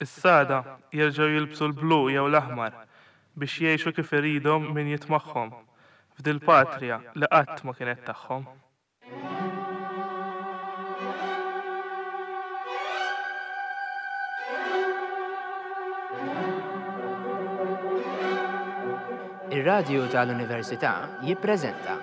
Issa għada jerġgħu jilbsu l-blu jew l-aħmar biex jgħixu kif iridhom min jitmagħhom f'dil-patria li qatt ma kienet tagħhom. Ir-Radju tal-Università jippreżenta.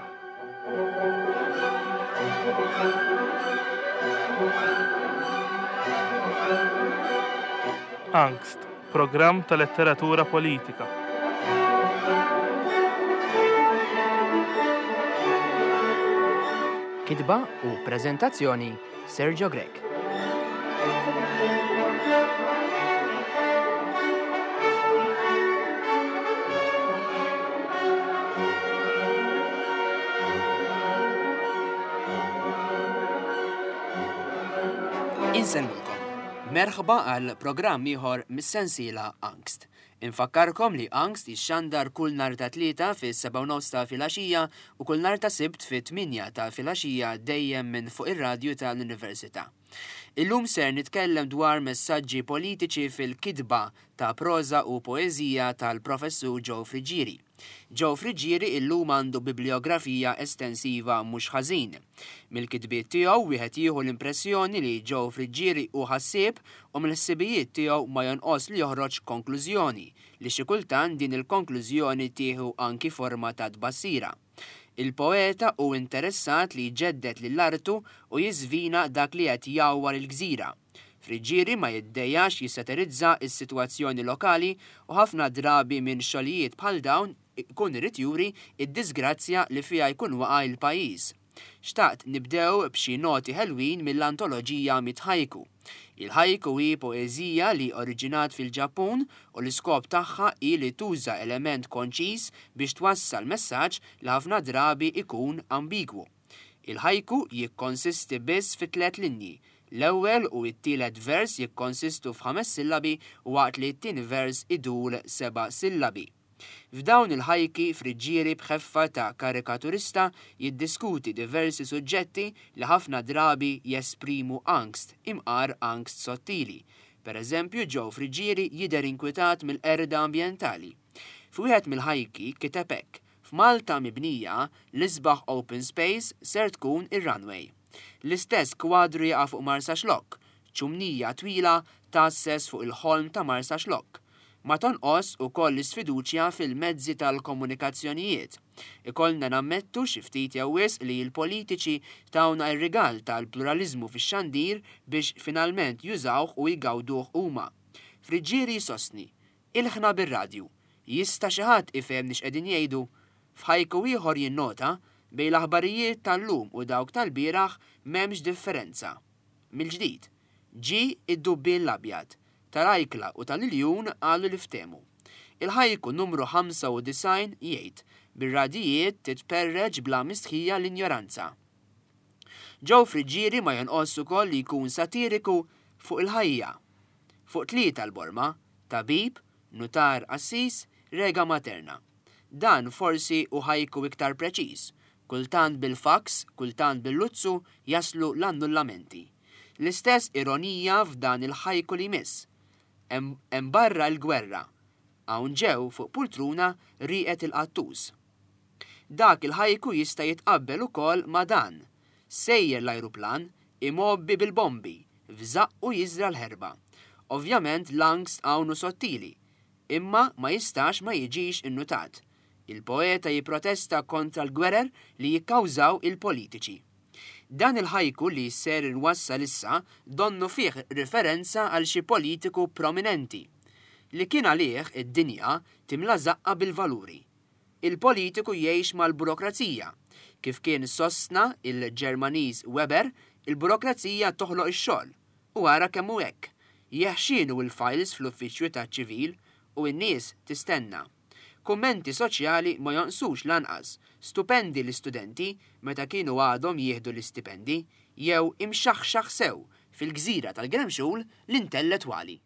Angst, programm ta' letteratura politika. Kitba u preżentazzjoni Sergio Grech. Insellmilkom. Merħba għal programm ieħor mis-sensiela Angst. Infakkarkom li Angst jixxandar kull nhar ta' Tlieta fis-sebgħa u nofs ta' filgħaxija u kull nhar ta' Sibt fit-tmienja ta' filgħaxija dejjem minn fuq ir-radju tal-Università. Illum ser nitkellem dwar messaġġi politiċi fil-kitba ta' proża u poeżija tal-Professur Joe Friggieri. Joe Friggieri illum għandu bibliografija estensiva mhux ħażin. Mill-kitbiet tiegħu wieħed jieħu l-impressjoni li Joe Friggieri hu ħassieb u mill-ħsibijiet tiegħu ma jonqos li joħroġ konklużjoni, li xi kultant din il-konklużjoni tieħu anki forma ta' tbassira. Il-poeta hu interessat li jġedded lil artu u jiżvina dak li qed jgħawwar il-gżira. Friggieri ma jiddejjax jissaterizza s-sitwazzjoni lokali u ħafna drabi minn xogħlijiet bħal dawn ikun irid juri d-diżgrazzja li fiha jkun waqa' l-pajjiż. Xtaqt nibdew b'xi noti ħelwin mill-antoloġija Mit-Haiku. Il-haiku hi poeżija li oriġinat fil-Ġappun u l-iskop tagħha hi li tuża element konċiż biex twassal messaġġ li ħafna drabi ikun ambigwu. Il-haiku jikkonsisti biss fi tlett linji. L-ewwel u t-tielet vers jikkonsistu f'ħames sillabi waqt li t-tieni vers idur seba' sillabi. F'dawn il-ħajki Friggieri b'ħeffa ta' karikaturista jiddiskuti diversi suġġetti li ħafna drabi jesprimu angst, imqar angst sottili. Per eżempju Joe Friggieri jidher inkwitat mill-qerda ambjentali. F'wieħed mill-ħajki kiteb hekk, F'Malta mibnija, l-isbaħ open space ser tkun ir-runway. L-istess kwadru jaqa' fuq Marsaxlokk, ċumnija twila tgħasses fuq il-ħolm ta' Marsaxlokk. Ma tonqos ukoll l-isfiduċja fil-mezzi tal-komunikazzjonijiet. Ikollna nammettu xi ftit jew wisq li l-politiċi tawna r-rigal tal-pluraliżmu fix-xandir biex finalment jużawh u jgawduh huma. Friggieri jsostni, Ilħna bir-radju. Jista' xi ħadd ifehemni x'qegħdin jgħidu? F'ħajku ieħor jinnota, Bejn l-aħbarijiet tal-lum u dawk tal-bieraħ m'hemmx differenza. Mill-ġdid, Ġie id-dubbien l-abjad. Tal-ajkla u tal-iljun qalu li ftehmu. Il-ħajku numru 95 jgħid, Bir-radijiet titperreċ bla mistħija l-injoranza. Joe Friggieri ma jonqosx ukoll li jkun satiriku fuq il-ħajja. Fuq tlieta l-borma, tabib, nutar qassis, rega materna. Dan forsi hu ħajku iktar preċiż. Kultant bil-faks, kultant bil-luzzu jaslu l-annullamenti. L-istess ironija f'dan il-ħajku li jmiss. Hemm hemm barra l-gwerra. Hawn ġew fuq pultruna rieqed il-qattus. Dak il-ħajku jista' jitqabbel ukoll ma' dan, Sejjer l-ajruplan, imgħobbi bil-bombi, f'żaqqu jiżra' l-ħerba. Ovvjament l-angst hawn hu sottili, imma ma jistax ma jiġix innutat. Il-poeta jipprotesta kontra l-gwerer li jikkawżaw il-politiċi. Dan il-ħajku li ser inwassal issa donnu fih riferenza għal xi politiku prominenti, li kien għalih id-dinja timla żaqqha bil-valuri. Il-politiku jgħix mal-burokrazija. Kif kien sostna il-Ġermaniż Weber, il-burokrazija toħloq ix-xogħol. U ara kemm hu hekk. Jeħxienu l-files fl-uffiċċju taċ-ċivil u n-nies tistenna. Kummenti soċjali ma jonqsux lanqas, stupendi l-istudenti meta kienu għadhom jieħdu l-istipendi, jew imxaħxaħ sew fil-gżira tal-Gremxul l-intellettwali.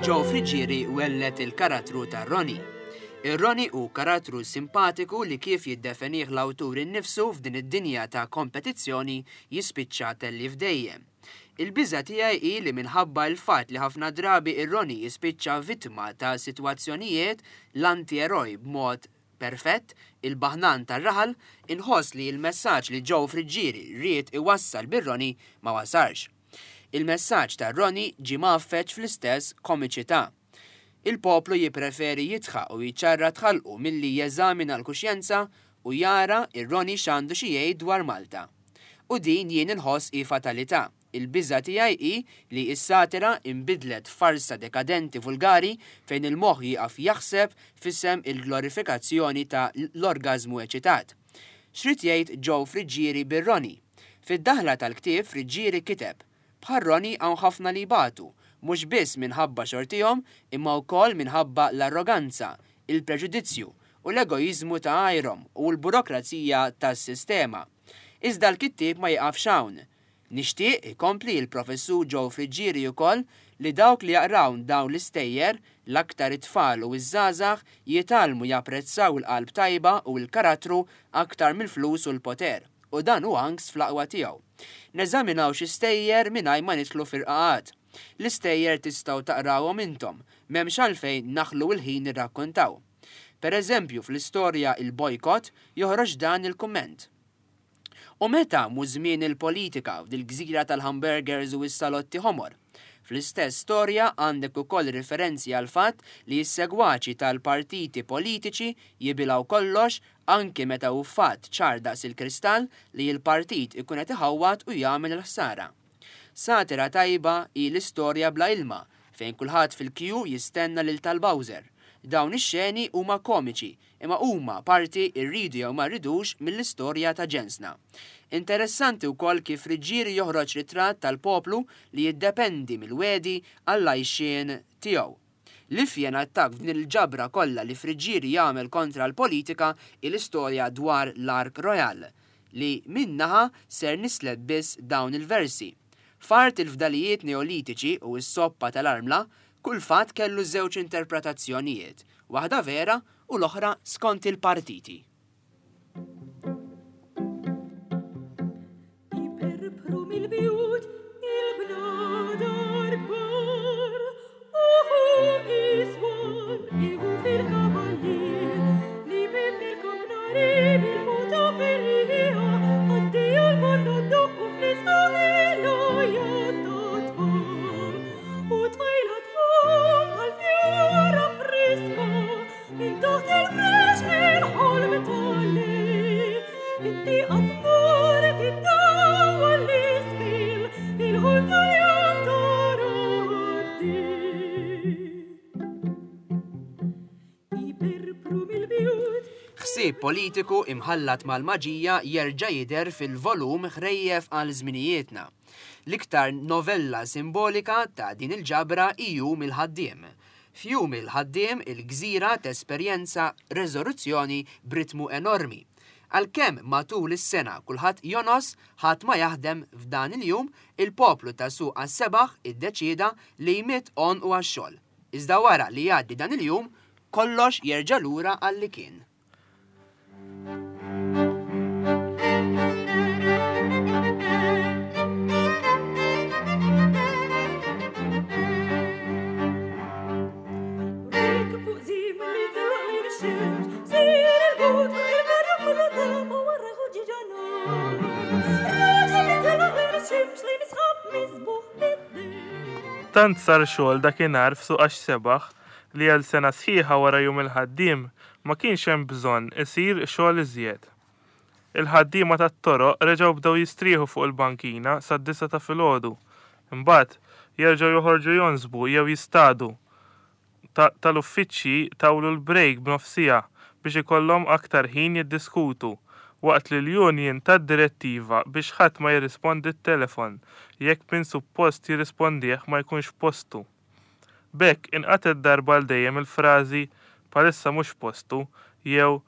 Joe Friggieri welled il-karattru ta' Ronnie. Ir-Ronnie hu karattru simpatiku li kif jiddefenih l-awtur innifsu f'din id-dinja ta' kompetizzjoni jispiċċa tellief dejjem. Il-biża' tiegħi hi li minħabba l-fatt li ħafna drabi ir-Ronnie jispiċċa vittma ta' sitwazzjonijiet l-anti-eroj b'mod perfett, il-baħnan tar-raħal, inħoss li l-messaġġ li Joe Friggieri ried iwassal bir-Ronnie ma wasalx. Il-messaġġ tar-Ronnie ġie mgħaffeġ fl-istess komiċità. Il-poplu jippreferi jidħaq u jċarrat ħalqu milli jeżamina l-kuxjenza u jara ir-Ronnie x'għandu xi jgħid dwar Malta. U din jien inħoss hi fatalità. Il-biża' tiegħi hi li s-satira inbidlet f'farsa dekadenti vulgari fejn il-moħħ jieqaf jaħseb f'isem il-glorifikazzjoni ta' l-orgażmu eċitat. X'ried jgħid Joe Friggieri bir-Ronnie? Fid-daħla tal-ktieb Friggieri kiteb, Bħal Ronnie hawn ħafna li jbatu, mhux biss minħabba xortihom imma wkoll minħabba l-arroganza, il-preġudizzju u l-egoiżmu ta' għajrhom u l-burokrazija tas-sistema. Iżda l-kittieb ma jieqafx hawn. Nixtieq, ikompli l-Professur Joe Friggieri ukoll, li dawk li jaqraw dawn l-istejjer, l-aktar it-tfal u ż-żgħażagħ, jitgħallmu japprezzaw il-qalb tajba u l-karattru aktar mill-flus u l-poter. U dan hu angst fl-aqwa tiegħu. Neżaminaw xi stejjer mingħajr ma nidħlu f'irqaqat. L-istejjer tistgħu taqrawhom intom, m'hemmx għalfejn naħlu l-ħin nirrakkontaw. Per eżempju, fl-istorja Il-Bojkott joħroġ dan il-kumment. U meta mhu żmien il-politika f'dil-gżira tal-hamburgers u s-salotti ħomor? Fl-istess storja għandek ukoll riferenzi għall-fatt li s-segwaċi tal-partiti politiċi jibilgħu kollox anki meta hu fatt ċar daqs il-kristall li l-partit ikun qed iħawwad u jagħmel il-ħsara. Satira tajba hi l-istorja Bla Ilma fejn kulħadd fil-kju jistenna lil tal-bowser. Dawn ix-xeni huma komiċi imma huma parti irridu jew ma rridux mill-istorja ta' ġensna. Interessanti wkoll kif Friggieri joħroġ ritratt tal-poplu li jiddependi mill-wegħdi għall-għajxien tiegħu. L-ifjen attakk f'din il-ġabra kollha li Friggieri jagħmel kontra l-politika hi l-istorja dwar l-Ark Royal, li minn naħa ser nislet biss dawn il-versi, F'art il-fdalijiet Neolitiċi u s-soppa tal-armla, kull fatt kellu żewġ interpretazzjonijiet, waħda vera u l-oħra skont il-partiti. Iperpru mill-bjut il-bnadar kbar u fuq is-swar iħu fil-kavallier li bifilkom nari bil-muta ferrija għaddiju l-banda ddoqqu fl-isbaħ il-għajat tat-tfal u tfajla tqum bħal fjura friska minn taħt il-frex minn ħolm tal-lejl. It-tieqa tmur tiddawwal l-isfel il-ħolm tal-jum tara għaddej. Iperpru mill-bjut. Ħsieb politiku imħallat mal-maġija jerġa' jidher fil-volum Ħrejjef għal Żminijietna. L-iktar novella simbolika ta' din il-ġabra hi Jum il-Ħaddiem. F'Jum il-Ħaddiem il-gżira tesperjenza reżoruzzjoni b'ritmu enormi. Għalkemm matul is-sena kulħadd jonos, ħadd ma jaħdem, f'dan il-jum il-poplu ta' Suq għas-Sebaħ iddeċieda li jmidd għonqu għax-xogħol. Iżda wara li jgħaddi dan il-jum, kollox jerġa' lura għal li kien. Tant sar xogħol dakinhar f'Suq Għax-Sebaħ li għal sena sħiħa wara Jum il-Ħaddiem ma kienx hemm bżonn isir xogħol iżjed. Il-ħaddiema tat-toroq reġgħu bdew jistrieħu fuq il-bankina sad-disgħa ta' filgħodu. Imbagħad, jerġgħu joħorġu jonsbu jew jistadu. Ta' tal-uffiċċji tawlu l-brejk b'nofs siegħa biex ikollhom aktar ħin jiddiskutu, waqt li l-union tat direttiva biex ħadd ma jirrispondi t-telefon jekk min suppost jirrispondih ma jkunx f'postu. B'hekk inqatgħet darba għal dejjem il-frażi bħalissa mhux f'postu jew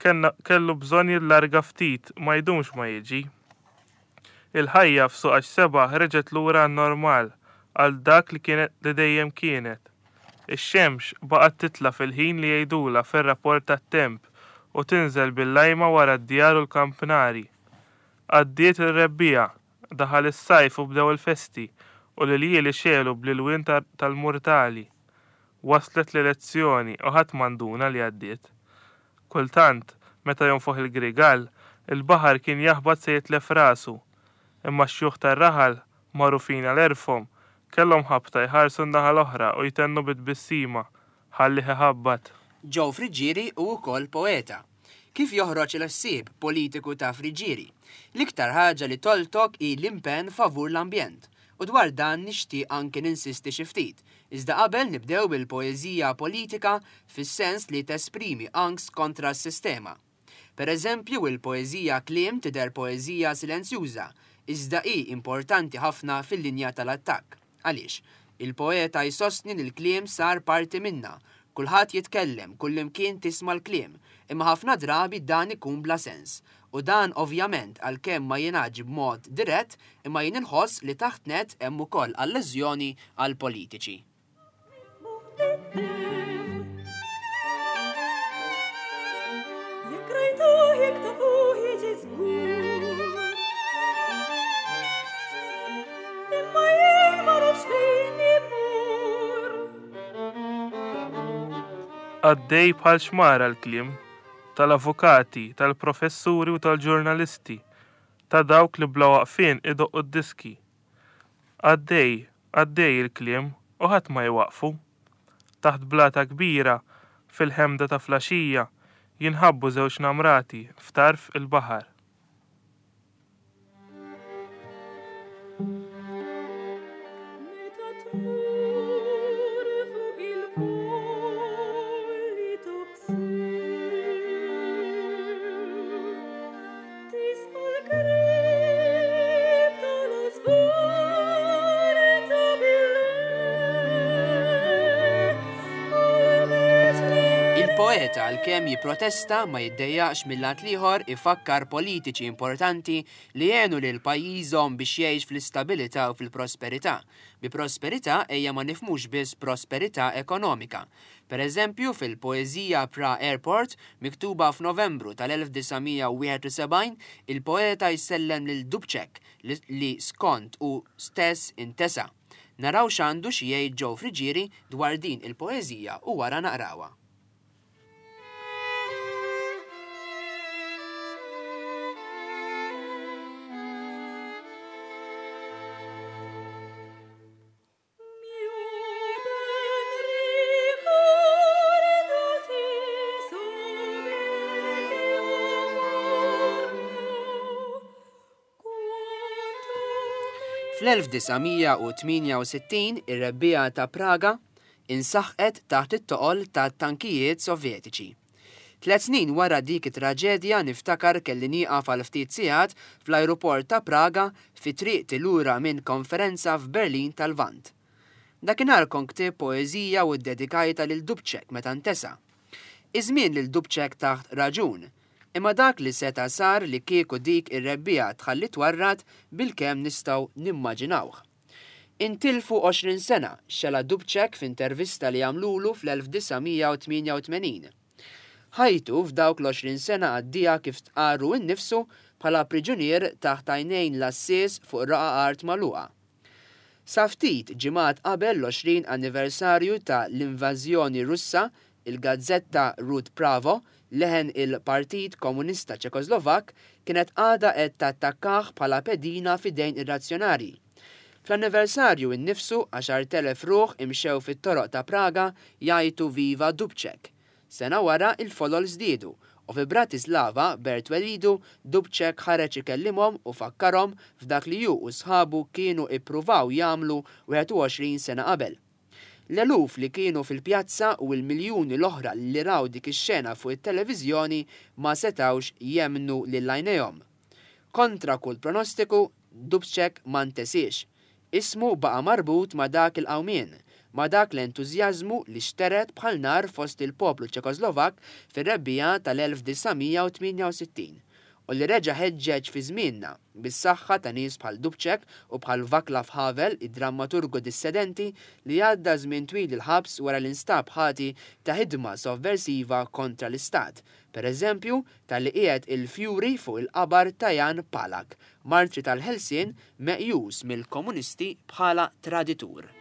kellna kellu bżonn jillarga ftit ma jdumx ma jiġi. Il-ħajja f'Suq Għax-Sebgħa reġgħet lura għan-normal, għal dak li kienet li dejjem kienet. Ix-xemx baqgħet titla' fil-ħin li jgħidulha fir-rapport tat-temp u tinżel bil-lajma wara d-djar u l-kampnari. Għaddiet ir-rebbiegħa, daħal is-sajf u bdew il-festi u l-iljieli xegħlu bl-ilwien tal-murtali. Waslet l-elezzjoni u ħadd ma nduna li għaddiet. Kultant, meta jonfoħ il-grigal, il-baħar kien jaħbat se jitlef rasu. Imma x-xjuħ tar-raħal, magħrufin għal għerfhom, kellhom ħabta jħarsu n-naħa l-oħra u jtennu bi tbissima, Ħallih iħabbat. Joe Friggieri hu wkoll poeta. Kif joħroġ il-ħsieb politiku ta' Friggieri? L-iktar ħaġa li toltok hi l-impenn favur l-ambjent. U dwar dan nixtieq anki ninsisti xi ftit. Iżda qabel nibdew bil-poeżija politika fis-sens li tesprimi angst kontra s-sistema. Per eżempju, il-poeżija Kliem tidher poeżija silenzjuża, iżda hi importanti ħafna fil-linja tal-attakk. Għaliex? Il-poeta jsostni li l-kliem sar parti minna. Kulħadd jitkellem, kullimkien tisma' l-kliem, imma ħafna drabi dan ikun bla sens. U dan ovvjament għalkemm ma jingħadx b'mod dirett, imma jien inħoss li taħt nett hemm ukoll allużjoni għall-politiċi. Għaddej bħal xmara l-kliem, tal-avukati, tal-professuri u tal-ġurnalisti, ta' dawk li bla waqfien idoqqu d-diski. Għaddej, għaddej il-kliem u ħadd ma jwaqqfu. Taħt blata kbira, fil-ħemda ta' flaxija, jinħabbu żewġ namrati f'tarf il-baħar. Meta tmur fuq il-bolli Il-poeta għalkemm jipprotesta ma jiddejjaqx mil-lat l-ieħor ifakkar politiċi importanti li għenu lil pajjiżhom biex jgħix fl-istabilità u fil-prosperità. Bi prosperità ejja ma nifhmux biss prosperità ekonomika. Per eżempju, fil-poeżija Pra Airport, miktuba f'Novembru tal-1971, il-poeta jsellem lil Dubček li skont hu stess intesa'. Naraw x'għandu xi jgħid Joe Friggieri dwar din il-poeżija u wara naqrawha. Fl-1968 ir-Rebbiegħa ta' Praga insaħqet taħt it-toqol tat-tankijiet Sovjetiċi. Tliet snin wara dik it-traġedja niftakar kelli nieqaf għal ftit sigħat fl-ajruport ta' Praga fi triqti lura minn konferenza f'Berlin tal-Lvant. Dakinhar kont ktibt poeżija u ddedikajtha lil Dubček meta ntesa. Iż-żmien lil Dubček tah raġun. Imma dak li seta' sar li kieku dik ir-rebbiegħa tħalli twarrad bilkemm nistgħu nimmaġinawh. Intilfu 20 sena, xela Dubček f'intervista li għamlulu fl-1988. Ħajtu f'dawk l-20 sena għaddieha kif stqarr hu nnifsu bħala priġunier taħt għajnejn l-għassies fuq raqgħa art magħluqa. Sa ftit ġimgħat qabel l-20 anniversarju ta' l-invażjoni Russa, il-gazzetta Rud Pravo, leħen il-Partit Komunista Ċekoslovakk, kienet għadha qed tattakkah bħala pedina f'idejn ir-razzjonarji. Fl-anniversarju innifsu, 10,000 ruħ imxew fit-toroq ta' Praga jgħajtu Viva Dubček! Sena wara, il-folol żdiedu, u fi Bratislava, bert twelidu, Dubček ħareġ ikellimhom u fakkarhom f'dak li hu u sħabu kienu ippruvaw jagħmlu 21 sena qabel. L-eluf li kienu fil-pjazza u l-miljuni l-oħra li raw dik ix-xena fuq it-televiżjoni ma setgħux jemmnu lil għajnejhom. Kontra kull pronostiku, Dubček ma ntesiex. Ismu baqa' marbut ma' dak il-qawmien, ma' dak l-entużjażmu li xtered bħal nar fost il-poplu Ċekoslovakk fir-rebbiegħa tal-1968. u li reġa' ħeġġeġ fi żmienna, bis-saħħa ta' nies bħal Dubček u bħal Vaclav Havel, id-drammaturgu dissedenti li għadda żmien twil il-ħabs wara li nstab ħati ta' ħidma sovversiva kontra l-Istat, per eżempju talli qiegħed il-fjuri fuq il-qabar ta' Jan Palach, martri tal-ħelsien meqjus mill-komunisti bħala traditur.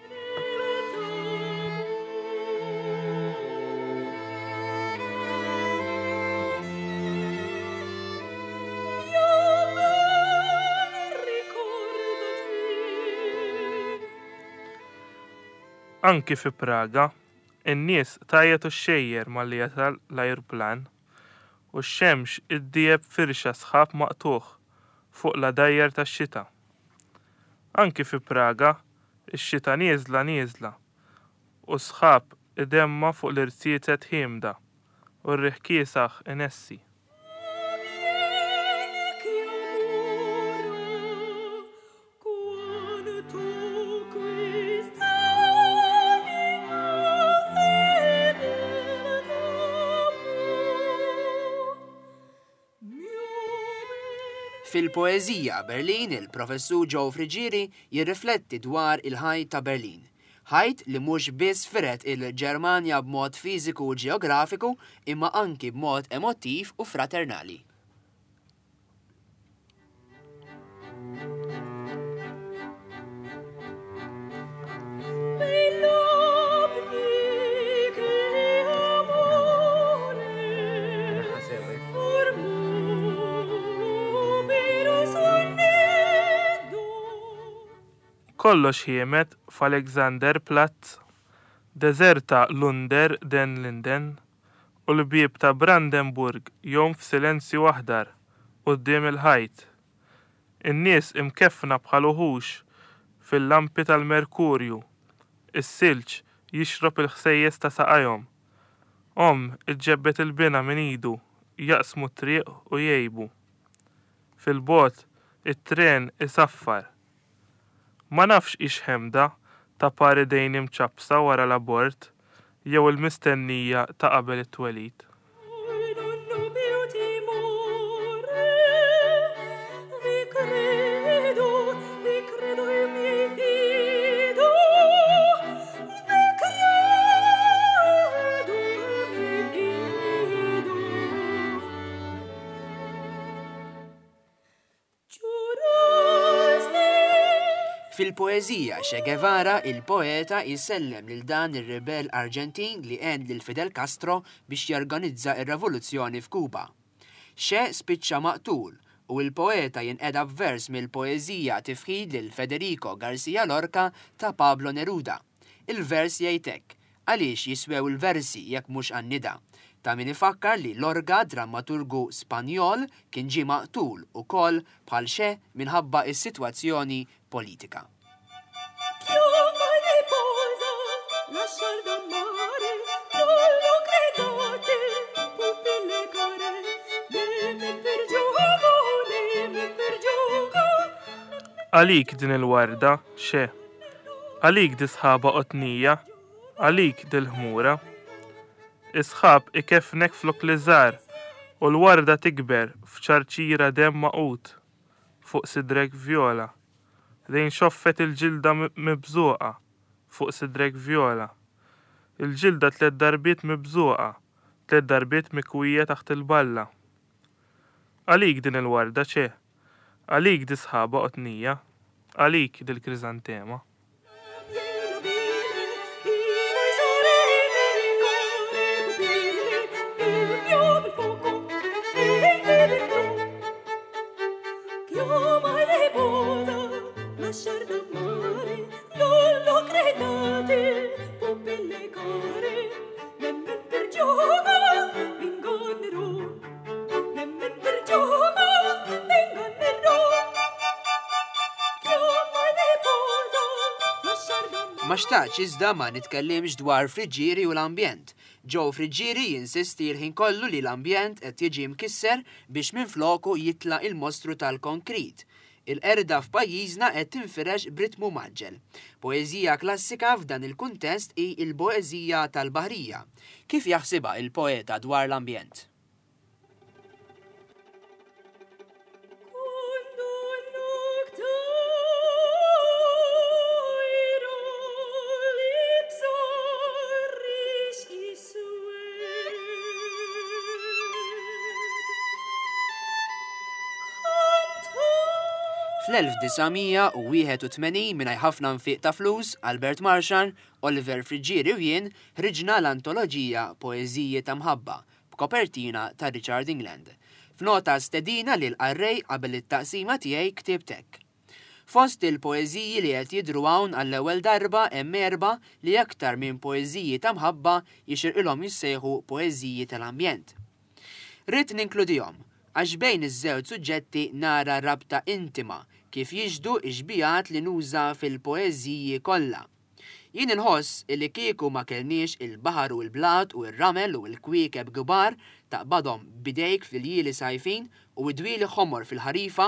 Anki fi Praga, in-nies tgħajjat u xxejjer malli jasal l-ajruplan, u x-xemx iddieb firxa sħab maqtugħ fuq l-għadajjar tax-xita. Anki fi Praga, ix-xita nieżla nieżla, u s-sħab idemma' fuq l-irziezet ħiemda, u r-riħ kiesaħ inessi. Fil-poeżija Berlin il-Professur Joe Friggieri jirrifletti dwar il-ħajt ta' Berlin. Ħajt li mhux biss fired il-Ġermanja b'mod fiżiku u ġeografiku imma anki b'mod emottiv u fraternali. Kollox ħiemed f'Alexanderplatz, deżerta l-Under den Linden, u l-bieb ta' Brandenburg jgħum f'silenzju aħdar quddiem il-ħajt. In-nies imkeffna bħal uħux fil-lampi tal-merkurju, is-silġ jixrob il-ħsejjes ta' saqajhom. Omm iġġebbed 'il binha minn idu, jaqsmu t-triq u jgħibu. Fil-bogħod it-tren isaffar. Ma nafx hix ħemda ta' par idejn imċappsa wara l-abort jew il-mistennija ta' qabel it-twelid. Fil-poeżija Che Guevara, il-poeta jsellem lil dan ir-ribell Arġentin li għen lil Fidel Castro biex jorganizza r-revoluzzjoni f'Kuba. Che spiċċa maqtul u l-poeta jinqeda b'vers mill-poeżija Tifħir lil Federico Garcia Lorca ta' Pablo Neruda. Il-vers jgħid hekk, Għaliex jiswew il-versi jekk mhux għan-nida? Ta' min ifakkar li Lorca, drammaturgu Spanjol, kien ġie maqtul ukoll bħal Che minħabba s-sitwazzjoni politika. Għalik din il-warda, Che. Għalik di sħaba qotnija, għalik dil-ħmura. Is-sħab ikeffnek flok liżar u l-warda tikber f'ċarċira demm magħqud fuq sidrek vjola. Lejn xoffet il-ġilda mibżuqa fuq sidrek vjola. Il-ġilda tlett darbiet mibżuqa, tlett darbiet mikwija taħt il-balla. Għalik din il-warda, Che. Għalik dis-sħaba qotnija, għalik dil-kriżantema. Ma xtaqtx iżda ma nitkellimx dwar Friggieri u l-ambjent. Joe Friggieri jinsisti l-ħin kollu li l-ambjent qed jiġi mkisser biex minfloku jitla' il-mostru tal-konkrit. Il-qerda f'pajjiżna qed tinfirex b'ritmu mgħaġġel. Poeżija klassika f'dan il-kuntest hi l-poeżija tal-Baħrija. Kif jaħsibha il-poeta dwar l-ambjent? Fl-1981 mingħajr ħafna nfiq ta' flus, Albert Marshall, Oliver Friggieri u jien ħriġna l-antoloġija Poeżiji ta' Mħabba b'kopertina ta' Richard England. F'nota stedina lill-qarrej qabel it-taqsima tiegħi ktibt hekk. Fost il-poeżiji li qed jidhru hawn għall-ewwel darba hemm erbgħa li aktar minn poeżiji ta' mħabba jixirqilhom jissejħu poeżiji tal-ambjent. Ridt ninkludihom għax bejn iż-żewġ suġġetti nara rabta intima kif jixhdu x-xbihat li nuża fil-poeżiji kollha. Jien inħoss illi kieku ma kellniex il-baħar u l-blat u r-ramel u l-kwiekeb kbar taqbadhom b'idejk fl-iljieli sajfin u d-dwieli ħomor fil-ħarifa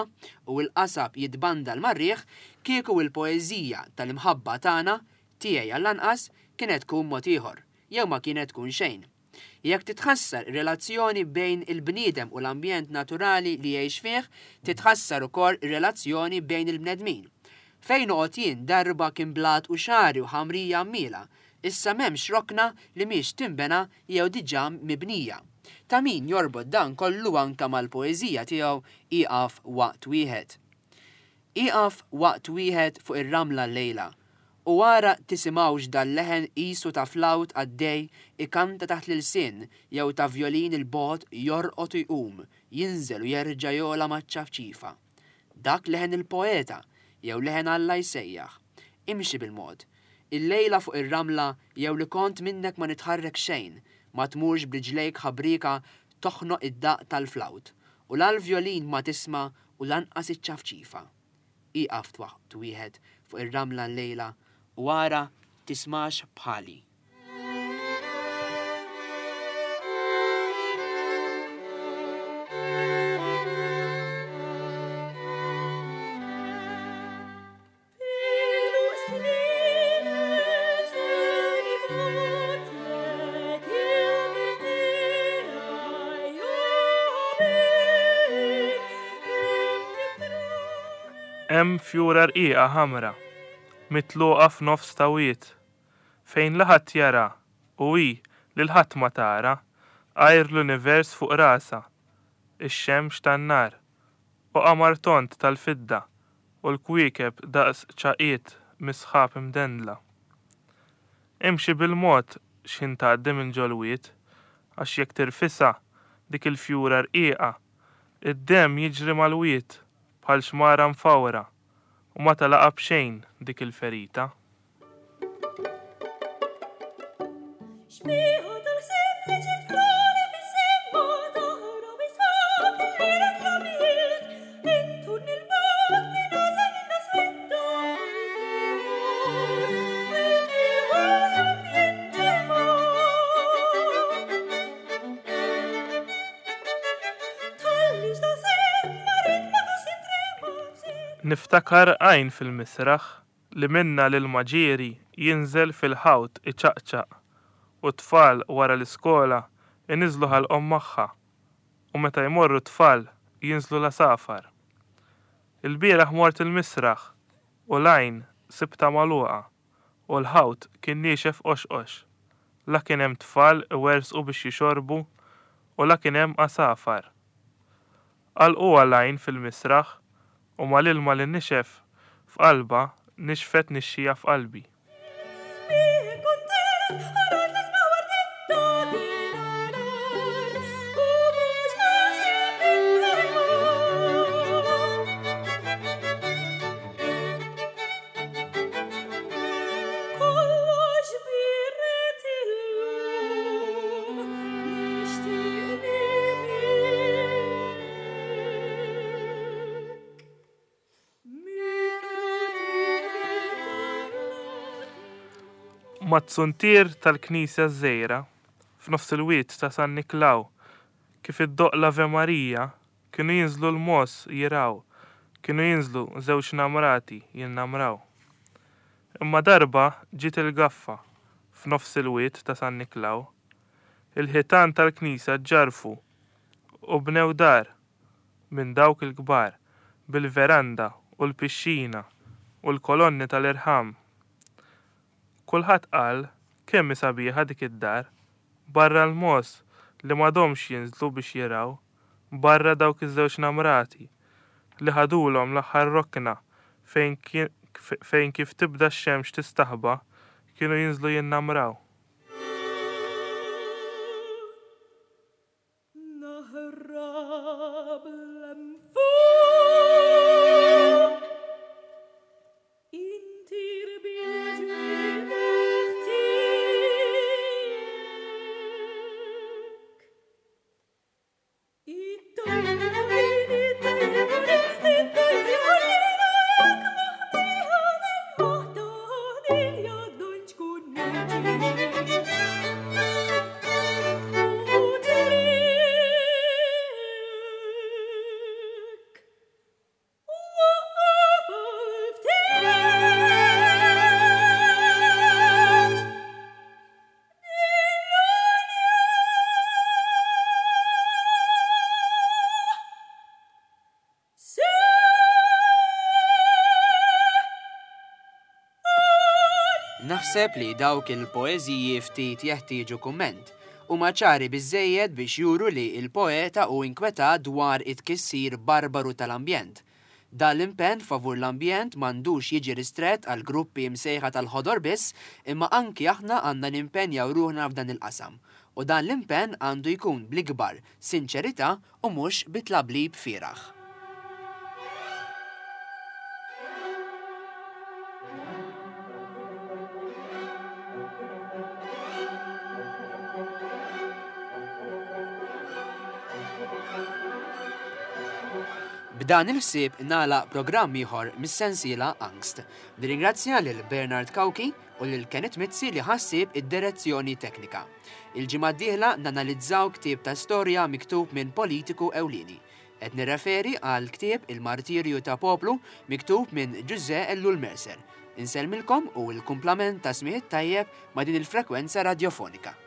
u l-qasab jitbandal mar-riħ, kieku l-poeżija tal-imħabba tagħna, tiegħi għall-anqas, kienet tkun mod ieħor, jew ma kienet tkun xejn. Jekk titħassar ir-relazzjoni bejn il-bniedem u l-ambjent naturali li jgħix fih, titħassar ukoll ir-relazzjoni bejn il-bnedmin. Fejn noqgħod jien darba kien blat u xagħri u ħamrija għammiela, issa m'hemmx rokna li mhix tinbena jew diġà mibnija. Ta' min jorbot dan kollu anke mal-poeżija tiegħu Ieqaf Waqt Wieħed. Ieqaf waqt wieħed fuq ir-ramla llejla, u ara tisimgħux dal-leħen qisu ta' flawt għaddej ikanta taħt l-ilsien jew ta' vjolin 'il bogħod jorqod u jqum, jinżel u jerġa' jogħla maċ-ċafċifa. Dak leħen il-poeta, jew leħen Alla jsejjaħ. Imxi bil-mod. Illejla fuq ir-ramla jew li kont minnek ma nitħarrek xejn, ma tmurx b'riġlejk ħabrieka toħnoq id-daqq tal-flawt, u la l-vjolin ma tisma' u lanqas iċ-ċafċifa. Ieqaf waqt wieħed fuq ir-ramla llejla u ara tismax bħali. Hemm fjura rqiqa ħamra, mitluqa f'nofs ta' wied, fejn la ħadd jara u hi lil ħadd ma tara għajr l-univers fuq rasha, ix-xemx tan-nar, u qamar tond tal-fidda u l-kwiekeb daqs ċagħqiet mis-sħab imdendla. Imxi bil-mod x'ħin tgħaddi minn ġol-wied, għax jekk tirfisha dik il-fjura rqiqa, id-demm jiġri mal-wied bħal xmara mfawra u ma tagħlaqha b'xejn dik il-ferita. Niftakar għajn fil-misraħ li minnha l-ilma ġieri jinżel fil-ħawt iċaqċaq u t-tfal wara l-iskola jniżżlu ħalqhom magħha u meta jmorru t-tfal jinżlu l-għasafar. Ilbieraħ mort il-misraħ u l-għajn sibtha magħluqa u l-ħawt kien niexef qoxqox. La kien hemm tfal iwerżqu biex jixorbu u la kien hemm għasafar. Għalquha l-għajn fil-misraħ u mal-ilma li nixef f'qalbha nixfet nixxija f'qalbi. Mat-zuntier tal-knisja ż-żgħira, f'nofs il-wied ta' San Niklaw, kif iddoqq l-Ave Maria, kienu jinżlu l-mogħoż jirgħu, kienu jinżlu żewġ namrati jinnamraw. Imma darba ġiet il-gaffa f'nofs il-wied ta' San Niklaw. Il-ħitan tal-knisja ġġarrfu u bnew dar minn dawk il-kbar bil-veranda u l-pixxina u l-kolonni tal-irħam. Kulħadd qal kemm hi sabiħa dik id-dar, barra l-mogħoż li m'għadhomx jinżlu biex jirgħu, barra dawk iż-żewġ namrati. li ħadulhom l-aħħar rokna fejn fejn kif tibda x-xemx tistaħba kienu jinżlu jinnamraw. Naħrab 'l fuq Intir bil-ġwienaħ tiegħek. Naħseb li dawk il-poeżiji ftit jeħtieġu kumment. Huma ċari biżżejjed biex juru li l-poeta hu inkwetat dwar it-tkissir barbaru tal-ambjent. Dan l-impenn favur l-ambjent m'għandux jiġi ristrett għal gruppi msejħa tal-ħodor biss imma anki aħna għandna nimpenjaw ruħna f'dan il-qasam. U dan l-impenn għandu jkun bl-ikbar sinċerità u mhux bi tlablib fieragħ. B'dan il-ħsieb nagħlaq programm ieħor mis-sensiela Angst. Nirringrazzja lil Bernard Cauchi u lil Kenneth Mizzi li ħa ħsieb id-direzzjoni teknika. Il-ġimgħa d-dieħla nanalizzaw ktieb ta' storja miktub minn politiku ewlieni. Qed nirreferi għall-ktieb Il-Martirju ta' Poplu miktub minn Ġużè Ellul Mercer. Insellmilkom u l-kumplament ta' smigħ it-tajjeb ma' din il-frekwenza radjofonika.